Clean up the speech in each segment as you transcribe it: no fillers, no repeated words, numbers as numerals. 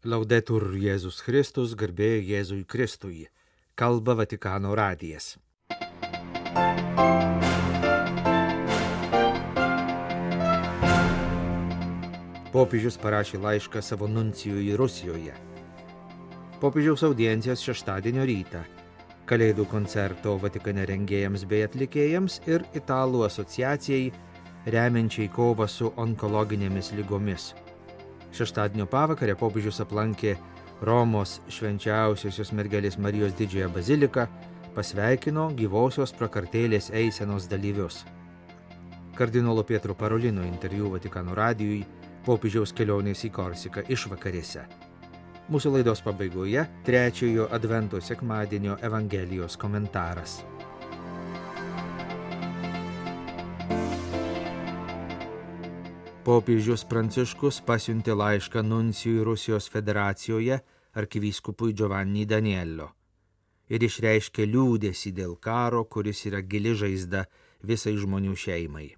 Laudetur Jėzus Kristus, garbė Jėzui Kristui. Kalba Vatikano radijas. Popiežius parašė laišką savo nuncijui Rusijoje. Popiežiaus audiencijos šeštadienio rytą. Kalėdų koncerto Vatikane rengėjams bei atlikėjams ir Italų asociacijai remiančiai kovą su onkologinėmis ligomis. Šeštadienio pavakarę popiežius aplankė Romos švenčiausiosios mergelės Marijos didžiąją baziliką, pasveikino gyvosios prakartėlės eisenos dalyvius. Kardinolo Pietro Parolino interviu Vatikano radijui popiežiaus kelionės į Korsiką išvakarėse. Mūsų laidos pabaigoje trečiojo advento sekmadienio Evangelijos komentaras. Popiežius Pranciškus pasiuntė laišką nuncijui Rusijos federacijoje arkivyskupui Giovanni Daniello ir išreiškė liūdesį dėl karo, kuris yra gili žaizda visai žmonių šeimai.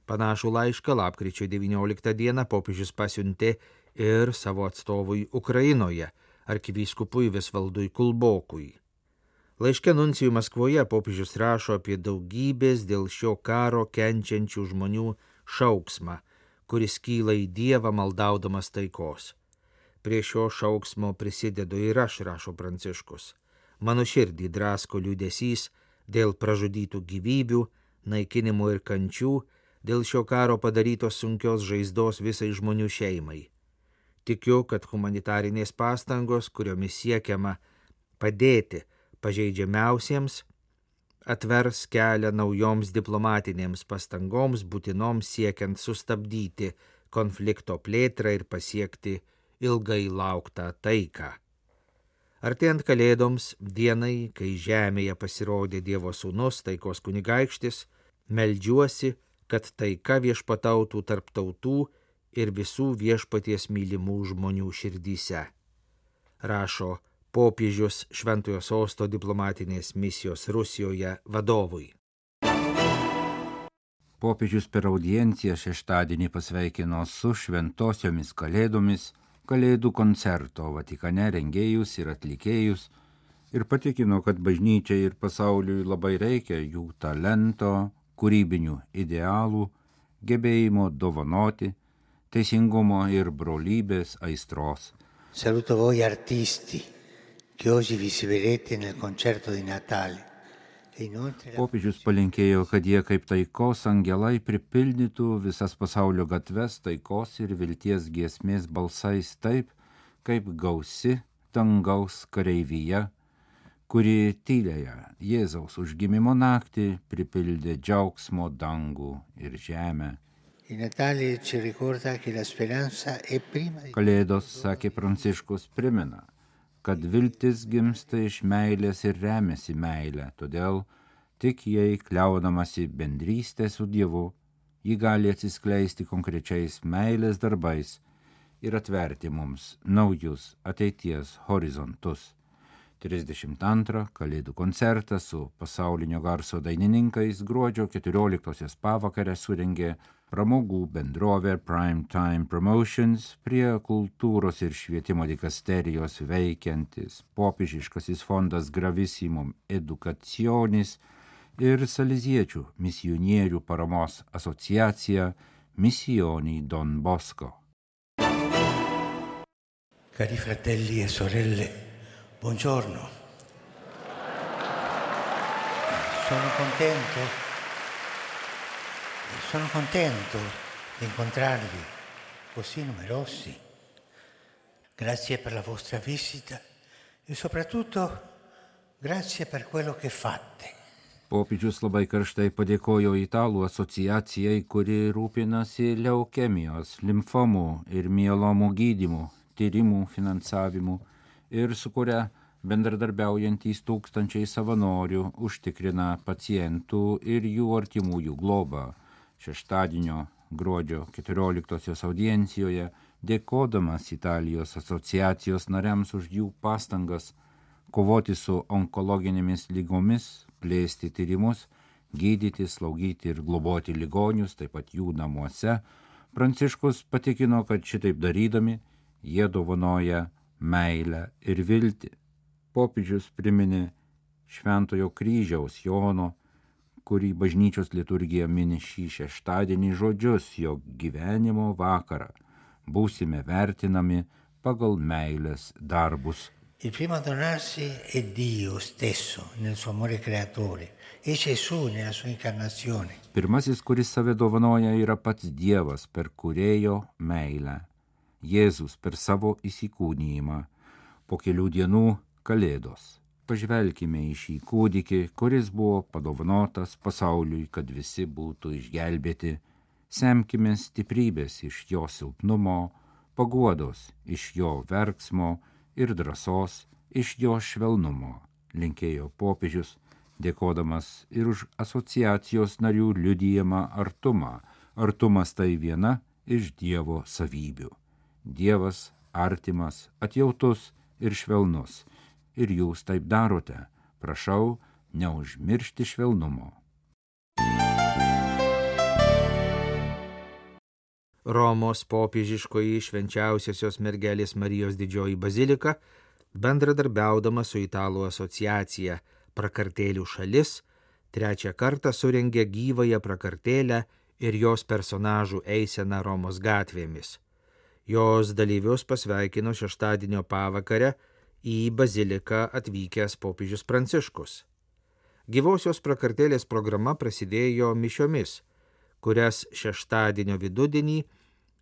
Panašų laišką lapkričio 19 dieną popiežius pasiuntė ir savo atstovui Ukrainoje, arkivyskupui Visvaldui Kulbokui. Laiške nuncijui Maskvoje popiežius rašo apie daugybės dėl šio karo kenčiančių žmonių šauksmą, kuris kyla į Dievą maldaudamas taikos. Prie šio šauksmo prisidedu ir aš, rašo Pranciškus. Mano širdį drasko liūdesys dėl pražudytų gyvybių, naikinimų ir kančių, dėl šio karo padarytos sunkios žaizdos visai žmonių šeimai. Tikiu, kad humanitarinės pastangos, kuriomis siekiama padėti pažeidžiamiausiems, atvers kelią naujoms diplomatinėms pastangoms būtinoms siekiant sustabdyti konflikto plėtrą ir pasiekti ilgai lauktą taiką. Artėjant kalėdoms, dienai, kai žemėje pasirodė Dievo sūnus, taikos kunigaikštis, meldžiuosi, kad taika viešpatautų tarp tautų ir visų viešpaties mylimų žmonių širdyse. Rašo popiežius Šventojo Sosto diplomatinės misijos Rusijoje vadovui. Popiežius per audienciją šeštadienį pasveikino su šventosiomis kalėdomis, kalėdų koncerto Vatikane rengėjus ir atlikėjus ir patikino, kad bažnyčiai ir pasauliui labai reikia jų talento, kūrybinių idealų, gebėjimo dovanoti, teisingumo ir brolybės aistros. Saluto voi artisti, che oggi vi vedete nel concerto di Natale. Popiežius palinkėjo, kad jie kaip taikos angelai pripildytų visas pasaulio gatves taikos ir vilties giesmės balsais taip, kaip gausi dangaus kareivyje, kuri tyliąją Jėzaus užgimimo naktį pripildė džiaugsmo dangų ir žemę. Kalėdos, sakė Pranciškus, primena, kad viltis gimsta iš meilės ir remiasi meilę, todėl tik jei kliaudamasi bendrystė su Dievu, ji gali atsiskleisti konkrečiais meilės darbais ir atverti mums naujus ateities horizontus. 32 kalėdų koncertą su pasaulinio garso dainininkais gruodžio 14 pavakarę surengė pramogų bendrovė Prime Time Promotions prie kultūros ir švietimo dikasterijos veikiantis popiežiškasis fondas Gravissimum Educationis ir saleziečių misionierių paramos asociacija Missioni Don Bosco. Cari fratelli e sorelle, buongiorno. Sono contento di incontrarvi così numerosi. Grazie per la vostra visita e soprattutto grazie per quello che fate. Popiežius labai karštai padėkojo Italų asociacijai, kuri rūpinasi leukemijos, limfomų ir mielomų gydymų, tyrimų finansavimu ir su kuria bendradarbiaujantys tūkstančiai savanorių užtikrina pacientų ir jų artimųjų globą. Šeštadienio gruodžio 14 audiencijoje, dėkodamas Italijos asociacijos nariams už jų pastangas kovoti su onkologinėmis lygomis, plėsti tyrimus, gydyti, slaugyti ir globoti ligonius, taip pat jų namuose, Pranciškus patikino, kad šitaip darydami Jie dovanoja meilę ir viltį. Popiežius priminė Šventojo kryžiaus Jono, kurį bažnyčios liturgija mini šį šeštadienį žodžius, jog gyvenimo vakarą būsime vertinami pagal meilės darbus. Il primo a donarsi è Dio stesso nel suo amore creatore e Gesù nella sua incarnazione. Pirmasis, kuris save dovanoja, yra pats Dievas per kūrėjo meilę. Jėzus per savo įsikūnijimą. Po kelių dienų Kalėdos. Pažvelkime į šį kūdikį, kuris buvo padovanotas pasauliui, kad visi būtų išgelbėti. Semkime stiprybės iš jo silpnumo, paguodos iš jo verksmo ir drąsos iš jo švelnumo, linkėjo popiežius, dėkodamas ir už asociacijos narių liudijamą artumą. Artumas tai viena iš Dievo savybių. Dievas artimas, atjautus ir švelnus. Ir jūs taip darote. Prašau, neužmiršti švelnumo. Romos popiežiškoji švenčiausiosios mergelės Marijos didžioji bazilika, bendradarbiaudama su Italų asociacija Prakartėlių šalis, trečią kartą surengė gyvąją prakartėlę ir jos personažų eiseną Romos gatvėmis. Jos dalyvius pasveikino šeštadienio pavakarę į baziliką atvykęs popiežius Pranciškus. Gyvosios prakartėlės programa prasidėjo mišiomis, kurias šeštadienio vidudienį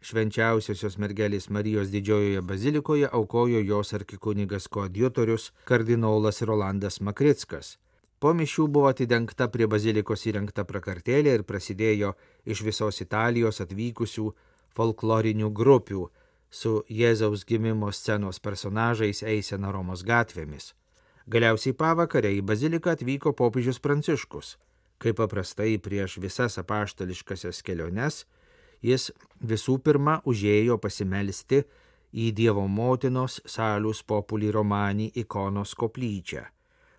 švenčiausiosios mergelės Marijos didžiojoje bazilikoje aukojo jos arkikunigas koadjutorius kardinolas Rolandas Makrickas. Po mišių buvo atidengta prie bazilikos įrengta prakartėlė ir prasidėjo iš visos Italijos atvykusių folklorinių grupių su Jėzaus gimimo scenos personažais eisena Romos gatvėmis. Galiausiai pavakarę į baziliką atvyko popiežius Pranciškus. Kaip paprastai prieš visas apaštališkasias keliones, jis visų pirma užėjo pasimelsti į Dievo motinos Salus Populi Romani ikonos koplyčią.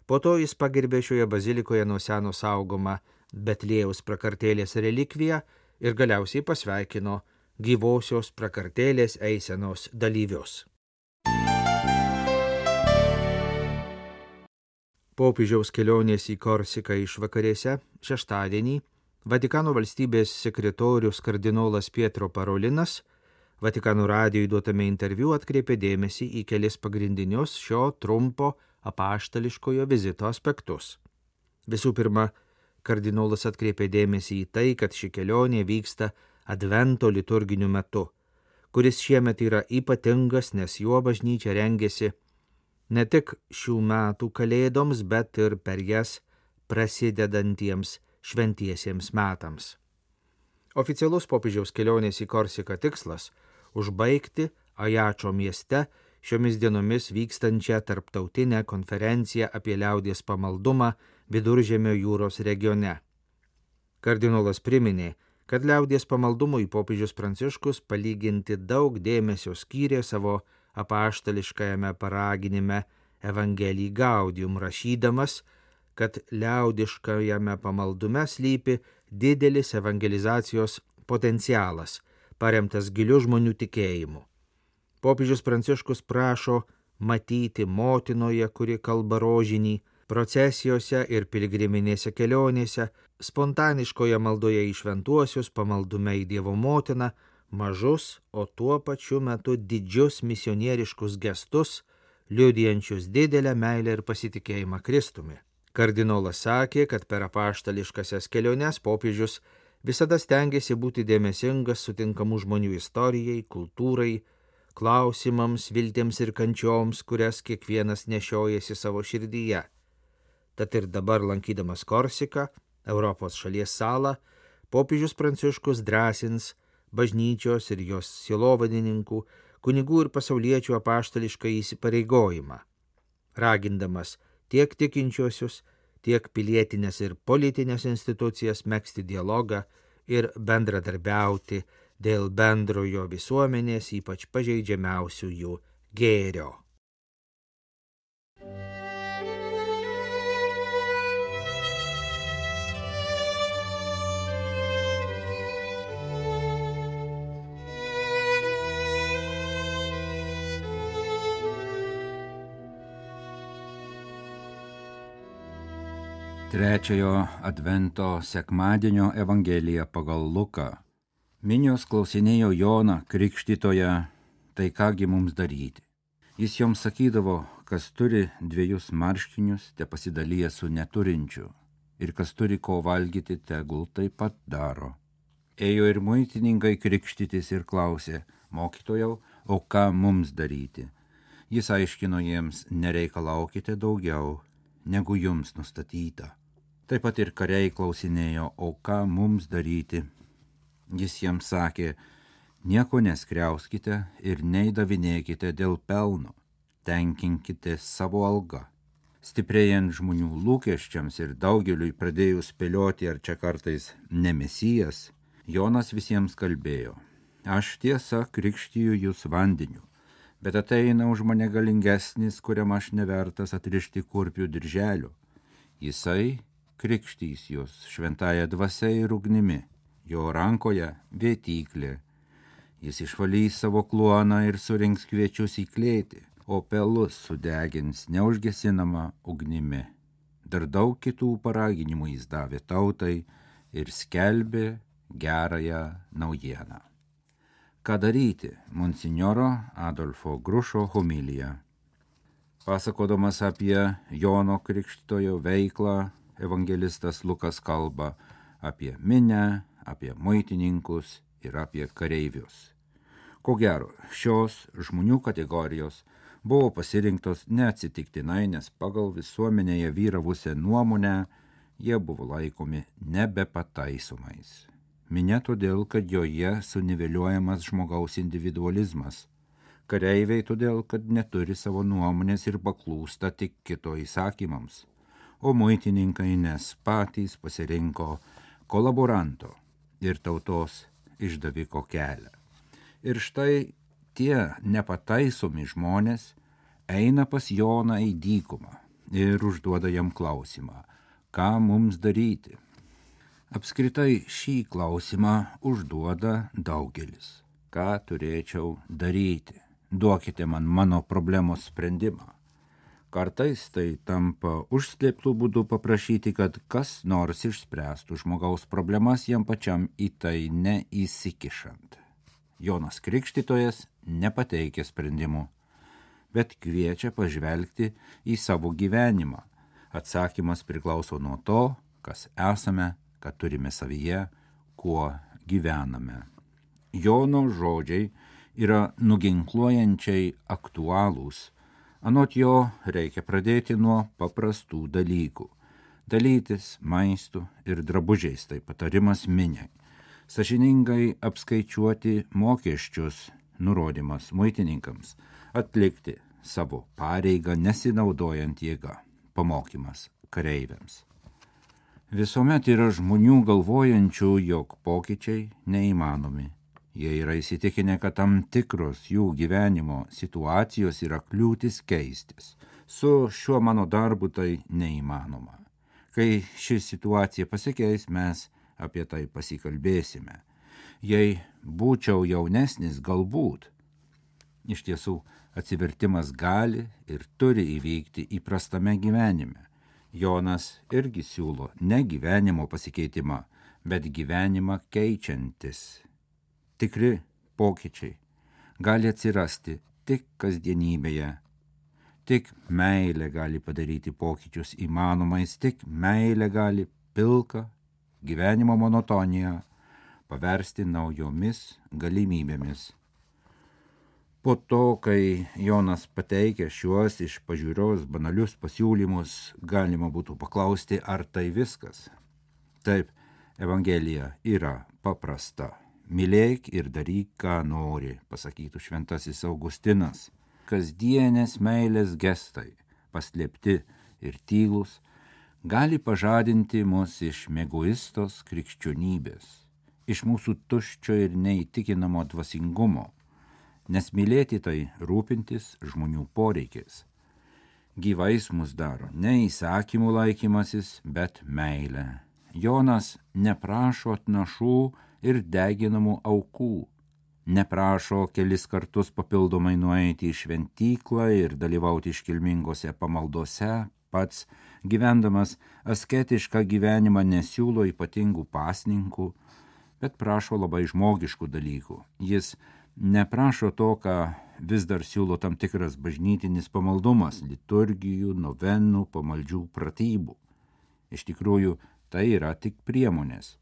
Po to jis pagerbė šioje bazilikoje nuo seno saugomą Betliejaus prakartėlės relikviją ir galiausiai pasveikino gyvosios prakartėlės eisenos dalyvius. Popiežiaus kelionės į Korsiką išvakarėse šeštadienį Vatikano valstybės sekretorius kardinolas Pietro Parolinas Vatikano radijui duotame interviu atkreipė dėmesį į kelis pagrindinius šio trumpo apaštališkojo vizito aspektus. Visų pirma, kardinolas atkreipė dėmesį į tai, kad ši kelionė vyksta Advento liturginiu metu, kuris šiemet yra ypatingas, nes juo bažnyčia rengiasi ne tik šių metų kalėdoms, bet ir per jas prasidedantiems šventiesiems metams. Oficialus popiežiaus kelionės į Korsiką tikslas – užbaigti Ajačo mieste šiomis dienomis vykstančią tarptautinę konferenciją apie liaudies pamaldumą Viduržemio jūros regione. Kardinolas priminė, kad liaudies pamaldumui popiežius Pranciškus palyginti daug dėmesio skyrė savo apaštališkajame paraginime Evangelii Gaudium, rašydamas, kad liaudiškajame pamaldume slypi didelis evangelizacijos potencialas, paremtas giliu žmonių tikėjimu. Popiežius Pranciškus prašo matyti motinoje, kuri kalba rožinį, procesijose ir piligriminėse kelionėse, spontaniškoje maldoje į šventuosius, pamaldume į Dievo motiną, mažus, o tuo pačiu metu didžius misionieriškus gestus, liudijančius didelę meilę ir pasitikėjimą Kristumi. Kardinolas sakė, kad per apaštališkasias keliones popiežius visada stengiasi būti dėmesingas sutinkamų žmonių istorijai, kultūrai, klausimams, viltiems ir kančioms, kurias kiekvienas nešiojasi savo širdyje. Tad ir dabar lankydamas Korsiką, Europos šalies salą, popiežius Pranciškus drąsins bažnyčios ir jos sielovadininkų, kunigų ir pasauliečių apaštališką įsipareigojimą, ragindamas tiek tikinčiuosius, tiek pilietinės ir politinės institucijas megzti dialogą ir bendradarbiauti dėl bendrojo visuomenės, ypač pažeidžiamiausių jų gėrio. Trečiojo advento sekmadienio Evangelija pagal Luką. Minios klausinėjo Joną Krikštytoją, tai kągi mums daryti. Jis joms sakydavo, kas turi 2 marškinius, te pasidalyja su neturinčiu, ir kas turi ko valgyti, tegul taip pat daro. Ėjo ir muitininkai krikštytis ir klausė, mokytojau, o ką mums daryti? Jis aiškino jiems, nereikalaukite daugiau, negu jums nustatyta. Taip pat ir kariai klausinėjo, o ką mums daryti? Jis jiems sakė, nieko neskriauskite ir neįdavinėkite dėl pelno, tenkinkite savo algą. Stiprėjant žmonių lūkesčiams ir daugeliui pradėjus spėlioti, ar čia kartais ne Mesijas, Jonas visiems kalbėjo, aš tiesa krikštiju jūs vandeniu, bet ateina už mane galingesnis, kuriam aš nevertas atrišti kurpių dirželio. Jisai krikštys jūs šventąja dvasia ir ugnimi, jo rankoje vėtyklė. Jis išvalys savo kluoną ir surinks kviečius į klėtį, o pelus sudegins neužgesinama ugnimi. Dar daug kitų paraginimų jis davė tautai ir skelbė gerąją naujieną. Ką daryti? Monsinjoro Adolfo Grušo homilija. Pasakodamas apie Jono Krikštytojo veiklą, evangelistas Lukas kalba apie minią, apie muitininkus ir apie kareivius. Ko gero, šios žmonių kategorijos buvo pasirinktos neatsitiktinai, nes pagal visuomenėje vyravusią nuomonę jie buvo laikomi nebepataisomais. Minia todėl, kad joje suniveliuojamas žmogaus individualizmas. Kareiviai todėl, kad neturi savo nuomonės ir paklūsta tik kito įsakymams. O muitininkai nes patys pasirinko kolaboranto ir tautos išdaviko kelią. Ir štai tie nepataisomi žmonės eina pas Joną į dykumą ir užduoda jam klausimą, ką mums daryti. Apskritai šį klausimą užduoda daugelis. Ką turėčiau daryti? Duokite man mano problemos sprendimą. Kartais tai tampa užslėptų būdų paprašyti, kad kas nors išspręstų žmogaus problemas jam pačiam į tai neįsikišant. Jonas Krikštytojas nepateikia sprendimų, bet kviečia pažvelgti į savo gyvenimą. Atsakymas priklauso nuo to, kas esame, ką turime savyje, kuo gyvename. Jono žodžiai yra nuginkluojančiai aktualūs. Anot jo reikia pradėti nuo paprastų dalykų. Dalytis maistu ir drabužiais, tai patarimas miniai. Sąžiningai apskaičiuoti mokesčius, nurodymas muitininkams. Atlikti savo pareigą nesinaudojant jėgą, pamokymas kareiviams. Visuomet yra žmonių galvojančių, jog pokyčiai neįmanomi. Jie yra įsitikinę, kad tam tikros jų gyvenimo situacijos yra kliūtis keistis. Su šiuo mano darbu tai neįmanoma. Kai ši situacija pasikeis, mes apie tai pasikalbėsime. Jei būčiau jaunesnis, galbūt. Iš tiesų, atsivertimas gali ir turi įvykti įprastame gyvenime. Jonas irgi siūlo ne gyvenimo pasikeitimą, bet gyvenimą keičiantis. Tikri pokyčiai gali atsirasti tik kasdienybėje. Tik meilė gali padaryti pokyčius įmanomais, tik meilė gali pilką gyvenimo monotoniją paversti naujomis galimybėmis. Po to, kai Jonas pateikia šiuos iš pažiūros banalius pasiūlymus, galima būtų paklausti, ar tai viskas. Taip, Evangelija yra paprasta. Mylėk ir daryk, ką nori, pasakytų šventasis Augustinas. Kasdienės meilės gestai, paslėpti ir tylūs, gali pažadinti mus iš mieguistos krikščionybės, iš mūsų tuščio ir neįtikinamo dvasingumo, nes mylėti tai rūpintis žmonių poreikiais. Gyvais mus daro ne įsakymų laikymasis, bet meilė. Jonas neprašo atnašų ir deginamų aukų, neprašo kelis kartus papildomai nueiti į šventyklą ir dalyvauti iškilmingose pamaldose, pats, gyvendamas asketišką gyvenimą, nesiūlo ypatingų pasninkų, bet prašo labai žmogiškų dalykų. Jis neprašo to, ką vis dar siūlo tam tikras bažnytinis pamaldumas, liturgijų, novenų, pamaldžių pratybų. Iš tikrųjų, tai yra tik priemonės,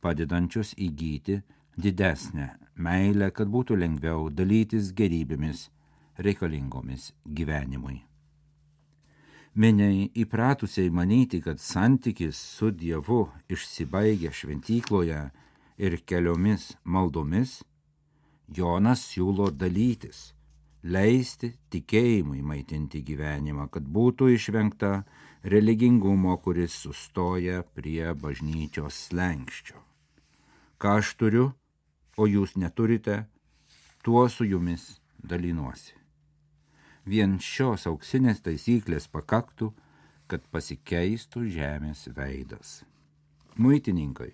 padedančios įgyti didesnę meilę, kad būtų lengviau dalytis gerybėmis reikalingomis gyvenimui. Miniai įpratusiai manyti, kad santykis su Dievu išsibaigia šventykloje ir keliomis maldomis, Jonas siūlo dalytis, leisti tikėjimui maitinti gyvenimą, kad būtų išvengta religingumo, kuris sustoja prie bažnyčios slenksčio. Ką aš turiu, o jūs neturite, tuo su jumis dalinuosi. Vien šios auksinės taisyklės pakaktų, kad pasikeistų žemės veidas. Muitininkai,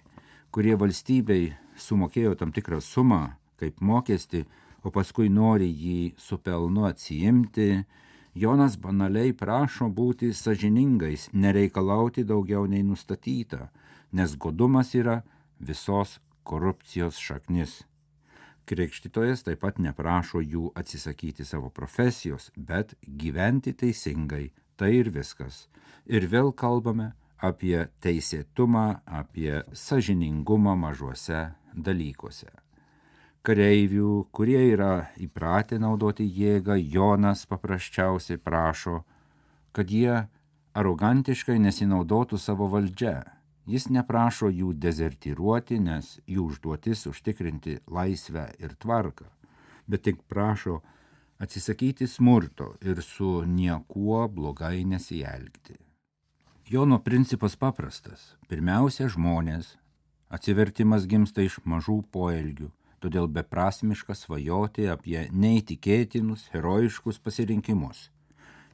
kurie valstybei sumokėjo tam tikrą sumą kaip mokestį, o paskui nori jį su pelnu atsiimti, Jonas banaliai prašo būti sąžiningais, nereikalauti daugiau nei nustatyta, nes godumas yra visos korupcijos šaknis. Krikštytojas taip pat neprašo jų atsisakyti savo profesijos, bet gyventi teisingai, tai ir viskas. Ir vėl kalbame apie teisėtumą, apie sąžiningumą mažuose dalykuose. Kareivių, kurie yra įpratę naudoti jėgą, Jonas paprasčiausiai prašo, kad jie arogantiškai nesinaudotų savo valdžia. Jis neprašo jų dezertyruoti, nes jų užduotis užtikrinti laisvę ir tvarką, bet tik prašo atsisakyti smurto ir su niekuo blogai nesielgti. Jono principas paprastas. Pirmiausia, žmonės. Atsivertimas gimsta iš mažų poelgių, todėl beprasmiška svajoti apie neįtikėtinus, herojiškus pasirinkimus.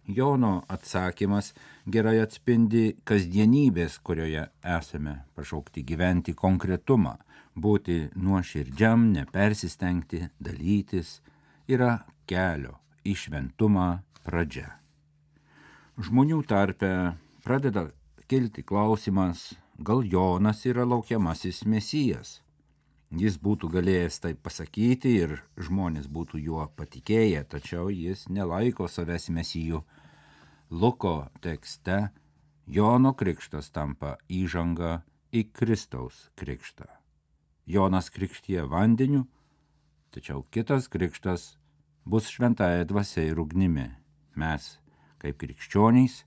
Jono atsakymas gerai atspindi kasdienybės, kurioje esame pašaukti gyventi konkretumą, būti nuoširdžiam, nepersistengti, dalytis, yra kelio į šventumą pradžia. Žmonių tarpe pradeda kilti klausimas, gal Jonas yra laukiamasis Mesijas. Jis būtų galėjęs tai pasakyti ir žmonės būtų juo patikėję, tačiau jis nelaiko savęs Mesiju. Luko tekste Jono krikštas tampa įžanga į Kristaus krikštą. Jonas krikštija vandeniu, tačiau kitas krikštas bus šventąja dvasia ir ugnimi. Mes, kaip krikščionys,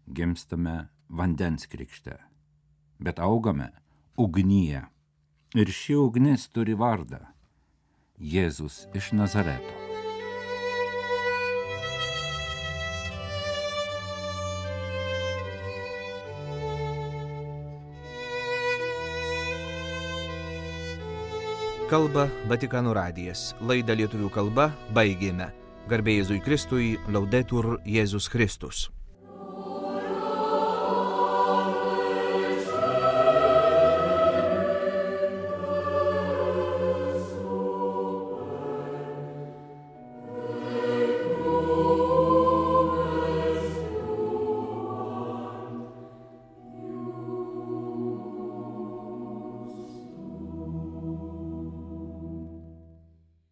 gimstame vandens krikšte, bet augame ugnyje. Ir ši ugnis turi vardą – Jėzus iš Nazareto. Kalba Vatikano radijas. Laidą lietuvių kalba baigėme. Garbė Jėzui Kristui, Laudetur Jėzus Kristus.